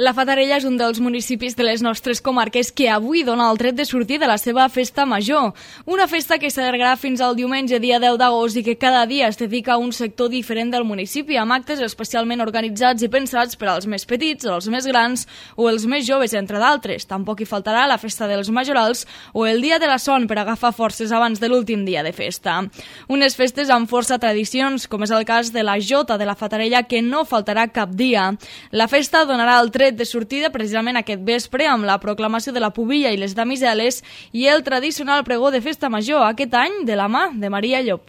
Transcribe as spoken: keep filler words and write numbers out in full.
La Fatarella és un dels municipis de les nostres comarques que avui dona el tret de sortir de la seva festa major. Una festa que s'allargarà fins al diumenge, dia deu d'agost, i que cada dia es dedica a un sector diferent del municipi, amb actes especialment organitzats i pensats per als més petits, els més grans o els més joves, entre d'altres. Tampoc hi faltarà la festa dels majorals o el dia de la son per agafar forces abans de l'últim dia de festa. Unes festes amb força tradicions, com és el cas de la Jota de la Fatarella, que no faltarà cap dia. La festa donarà el tret de sortida precisament aquest vespre amb la proclamació de la pubilla i les damiseles i el tradicional pregó de festa major, aquest any de la mà de Maria Llop.